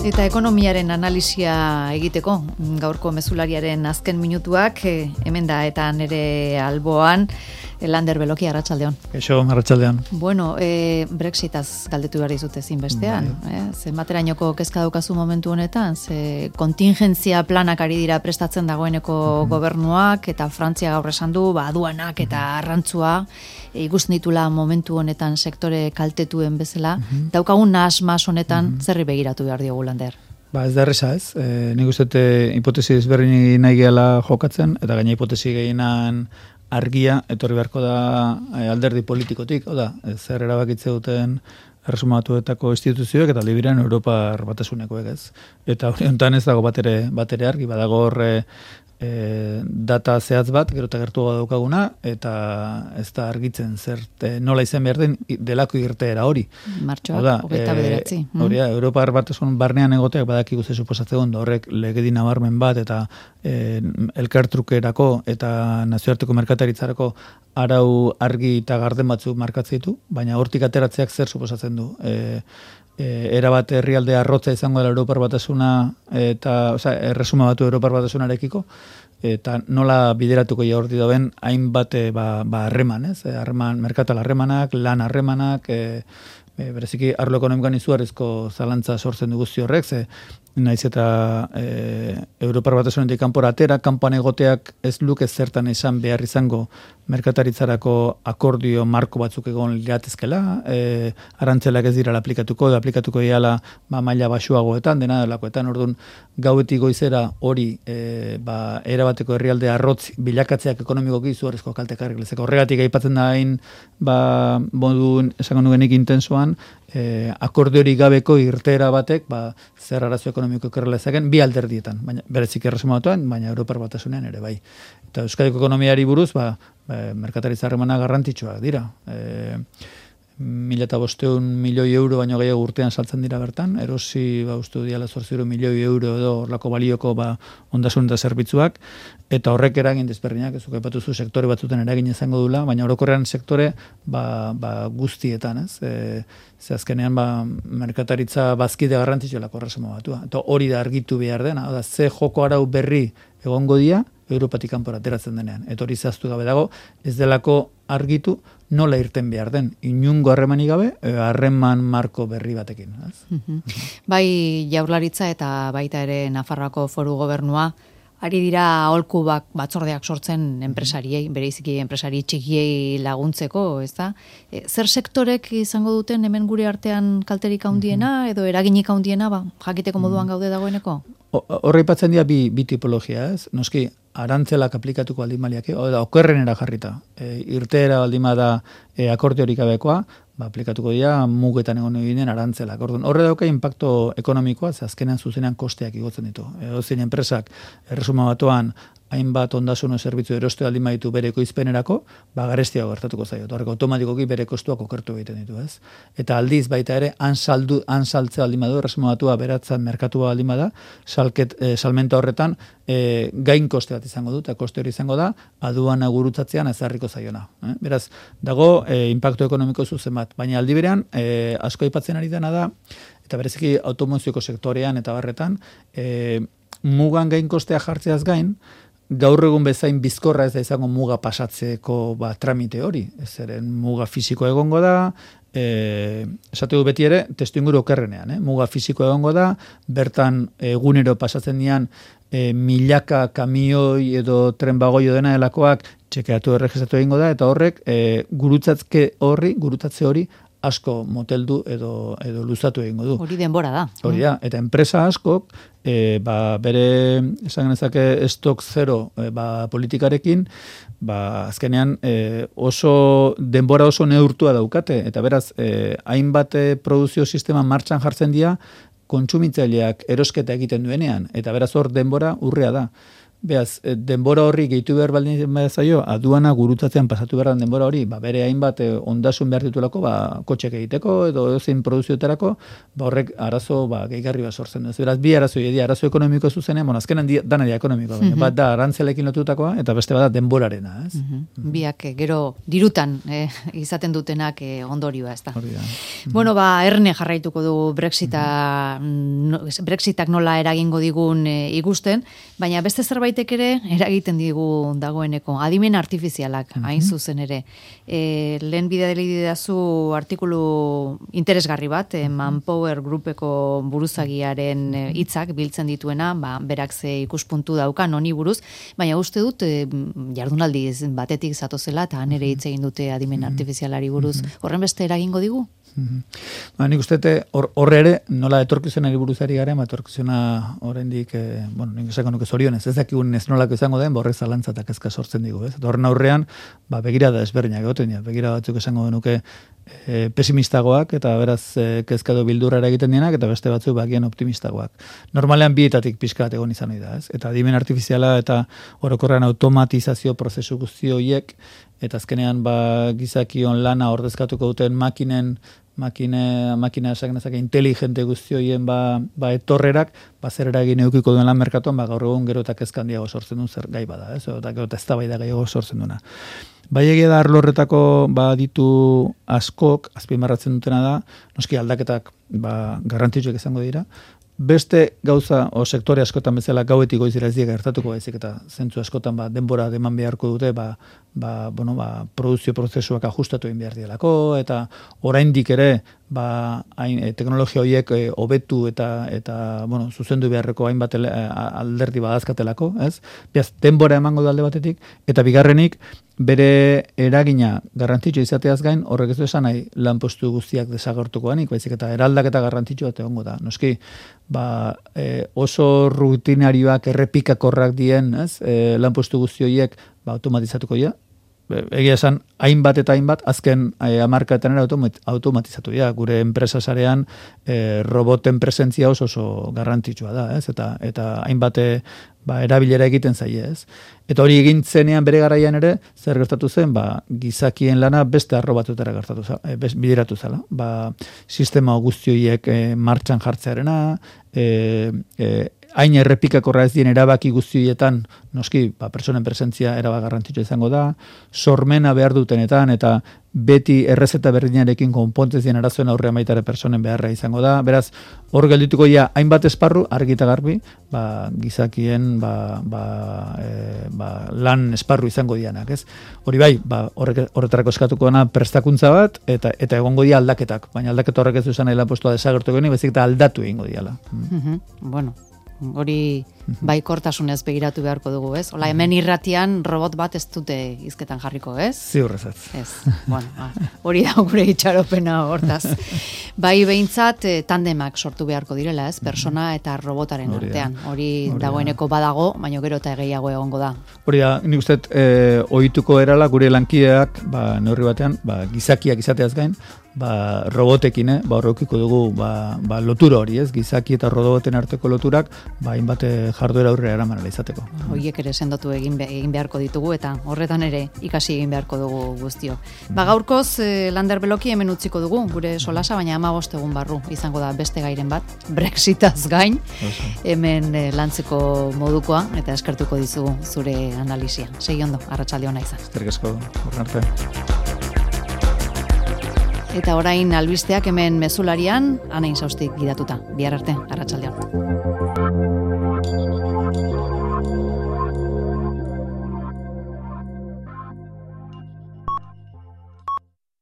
Eta ekonomiaren analisia egiteko, gaurko mezulariaren azken minutuak, hemen da eta nire alboan, Lander Beloki, arratsaldeon. Eixo, arratsaldeon. Bueno, Brexitaz galdetu behar dizut ezinbestean. Zenbaterainoko kezka daukazu momentu honetan, ze kontingentzia planak ari dira prestatzen dagoeneko gobernuak, eta Frantzia gaur esan du, aduanak eta arrantzua, ikusten ditula momentu honetan sektore kaltetuen bezala, daukagun nahas-mas honetan zerri begiratu behar diogu, Lander? Ez da erresa ez, nik uste hipotesi ezberdin nahi gehala jokatzen, eta gaina hipotesi gehienan argia etorri beharko da alderdi politikotik, zer erabakitze duten erresumatuetako instituzioek eta libiran Europar Batasunekoek ez. Eta hori honetan ez dago batere argi, badago horre data zehatz bat, gero eta gertuago daukaguna, eta ez da argitzen nola izan behar den delako irteera hori. Martxoak, 29. Hori da, Europar Batasun barnean egoteak badakigu ze suposatzen horrek legedi nabarmen bat, eta elkartrukerako eta nazioarteko merkataritzarako arau argi eta garden batzuk markatzen ditu, baina hortik ateratzeak zer suposatzen du. Erabat herrialde arrotza izango dela Europar Batasuna eta erresuma batu Europar Batasunarekiko, eta nola bideratuko jaurti dauen hainbat harreman, merkatal harremanak, lan harremanak, bereziki arlo ekonomikoan izugarrizko zalantza sortzen du guzti horrek, naiz eta Europar Batasunetik kanpora atera, kanpoan egoteak ez luke zertan esan behar izango merkataritzarako akordio marko batzuk egon liratezkela, arantzelak ez dira aplikatuko diala maila baxuagoetan, dena delakoetan, orduan gauetik goizera hori erabateko herrialde arrotz bilakatzeak ekonomikoki izugarrizko kaltekarrik lezeko. Horregatik aipatzen da hain modu esango nugenik intensoan, akordiorik gabeko irteera batek zer arazo ekonomiko ekarrela ezagen bi alderdietan, baina berezik erresumatuan, baina Europar Batasunean ere bai. Eta Euskadiko ekonomiari buruz, merkataritza harremanak garrantzitsuak dira. 1.500 milioi euro baino gehiago urtean saltzen dira bertan, erosi uste diala 800 milioi euro edo horlako balioko ondasun eta zerbitzuak, eta horrek eragin desberdinak, ez aipatuzu sektore batzuten eragin izango dula, baina orokorrean sektore guztietan, ez? Ze azkenean merkataritza bazkide garrantzitsuelako erresuma batua. Eta hori da argitu behar dena, ze joko arau berri egongo dia Europatik kanpora ateratzen denean. Eta hori zehaztu gabe dago, ez delako argitu nola irten behar den. Inungo harremanik gabe, harreman marko berri batekin. Bai Jaurlaritza eta baita ere Nafarroako Foru Gobernua, ari dira aholku batzordeak sortzen enpresariei, bereiziki enpresari txikiei laguntzeko, ez da? Zer sektorek izango duten hemen gure artean kalterik handiena edo eraginik handiena, jakiteko moduan gaude dagoeneko? Horra ipatzen dira bi tipologia, ez? Noski, arantzelak aplikatuko aldimaliak, okerrenera jarrita. Irteera aldima da akordiorik gabekoa, aplikatuko dira mugetan egon eginen arantzelak. Horre dauka impacto ekonomikoa, ze azkenean zuzenean kosteak igotzen ditu. Zein enpresak erresuma batuan hainbat ondasun zerbitzu eroste aldin baditu bere ekoizpenerako, garestiago gertatuko zaio. Horrek automatikoki bere kostuak okertu egiten ditu, ez? Eta aldiz baita ere, han saltzea aldin badu, erresuma batua beratzen merkatua aldin bada, salmenta horretan gain koste bat izango du, eta koste hori izango da, aduana gurutzatzean ezarriko zaiona. Beraz, dago impacto ekonomiko zuzen bat, baina aldi berean, asko aipatzen ari dena da, eta bereziki automozioko sektorean eta barretan, mugan gain kostea jartzeaz gain, gaur egun bezain bizkorra ez da izango muga pasatzeko tramite hori. Zeren muga fisiko egongo da, esate du beti ere, testuinguru okerrenean. Muga fisiko egongo da, bertan egunero pasatzen dian milaka kamioi edo tren bagoio dena delakoak txekeatu erregistratu egingo da, eta horrek gurutzatze hori asko moteldu edo luzatu egingo du. Hori denbora da. Hori da, eta enpresa askok bere esan genezake stok zero politikarekin, azkenean denbora oso neurtua daukate, eta beraz, hainbat produzio sistema martxan jartzen dira, kontsumitzaileak erosketa egiten duenean, eta beraz hor denbora urrea da. Beaz, denbora horri gehitu behar baldin zaio, aduana gurutzatzean pasatu behar denbora hori, bere hainbat ondasun behar ditulako, kotxek egiteko edo zein produzioetarako, horrek arazo gehigarri bat sortzen du. Beraz, bi arazo ekonomiko zuzenean, azkenan dana dia ekonomikoa, baina bat da arantzelekin lotutakoa, eta beste bat da denborarena. Ez? Biak gero dirutan izaten dutenak ondorioa, ez da. Bueno, erne jarraituko du Brexitak nola eragingo digun ikusten, baina beste zerbaitek ere eragiten digu dagoeneko. Adimen artifizialak, hain zuzen ere. Lehen bidali didazu artikulu interesgarri bat, Manpower Groupeko buruzagiaren hitzak biltzen dituena, berak ze ikuspuntu daukan honi buruz, baina uste dut jardunaldi batetik zatozela, eta han ere hitz egin dute adimen artifizialari buruz. Horren beste eragingo digu? Nik uste horre ere, nola etorkizunari buruzari garen, etorkizuna oraindik, nik esako nuke zorionez, ez dakigun ez nolako izango den, horrek zalantza eta kezka sortzen digu, ez? Horren aurrean, begirada ezberdinak egoten dira, begira batzuk esango denuke pesimistagoak, eta beraz kezka edo bildurra egiten dienak, eta beste batzuk bagian optimistagoak. Normalean bietatik pixka bat egon izan da, ez? Eta adimen artifiziala eta orokorrean automatizazio prozesu guzti horiek, eta azkenean gizakion lana ordezkatuko duten makina esakenezak inteligente guzti horien etorrerak, zer eragin edukiko duen lan merkatuan, gaur egun gero eta kezka handiago sortzen duen zer gai bada, ez? Eta gero eta eztabaida gehiago sortzen duena. Bai egia da arlo horretako ditu askok, azpimarratzen dutena da, noski aldaketak garrantzitsuak izango dira, beste gauza o sektore askotan bezala gauetik goizera ez dira gertatuko baizik eta zentzu askotan denbora eman beharko dute produzio prozesuak ajustatu egin behar dielako eta oraindik ere teknologia horiek hobetu eta zuzendu beharreko hainbat alderdi badazkatelako, ez? Beraz, denbora emango da alde batetik eta bigarrenik bere eragina garrantzitsua izateaz gain, horrek ez du esan nahi lanpostu guztiak desagertuko denik, baizik eta eraldaketa garrantzitsua egongo da. Noski, oso rutinarioak errepikakorrak dien, ez? Lanpostu guzti horiek automatizatuko dira. Egia esan, hainbat eta hainbat, azken hamarkaetan ere automatizatu dira. Gure enpresa sarean roboten presentzia oso garrantzitsua da, ez? Eta hainbat erabilera egiten zaie, ez? Eta hori egin zenean bere garaian ere, zer gertatu zen, gizakien lana beste arro batutara bideratu zela. Sistema guzti horiek martxan jartzearena, hain errepikakorra ez dien erabaki guztietan, noski, pertsonen presentzia erabak garrantzitsua izango da, sormena behar dutenetan, eta beti errezeta berdinarekin konpontez dien arazoen aurrean baitare pertsonen beharra izango da. Beraz, hor geldituko hainbat esparru, argi eta garbi, gizakien lan esparru izango dianak, ez? Hori bai, horretarako eskatuko dena prestakuntza bat, eta egongo dia aldaketak, baina aldaketa horrek ez du izan nahi lanpostua desagertu geni, bezik eta aldatu egingo diala. Bueno, hori baikortasunez begiratu beharko dugu, ez? Hola, hemen irratian robot bat ez dute hizketan jarriko, ez? Ziurrezat. Ez, hori da gure itxaropena hortaz. Bai behintzat tandemak sortu beharko direla, ez? Persona eta robotaren artean. Hori dagoeneko badago, baina gero eta gehiago egongo da. Hori da, nik uste ohituko erala gure lankideak, neurri batean, gizakiak izateaz gain, robotekin, horrekiko dugu lotura hori, ez? Gizaki eta roboten arteko loturak, hainbat jarduera aurrera eraman izateko. Horiek ere sendotu egin beharko ditugu eta horretan ere ikasi egin beharko dugu guztio. Gaurkoz Lander Beloki hemen utziko dugu gure solasa, baina 15 egun barru izango da beste gairen bat, Brexitaz gain, hemen lantzeko modukoa eta eskertuko dizugu zure analisia. Segi ondo, arratsalde ona izan. Eskerrik asko, horren arte. Eta orain albisteak hemen mezularian, Ana Insaustik gidatuta. Bihar arte, arratsaldean.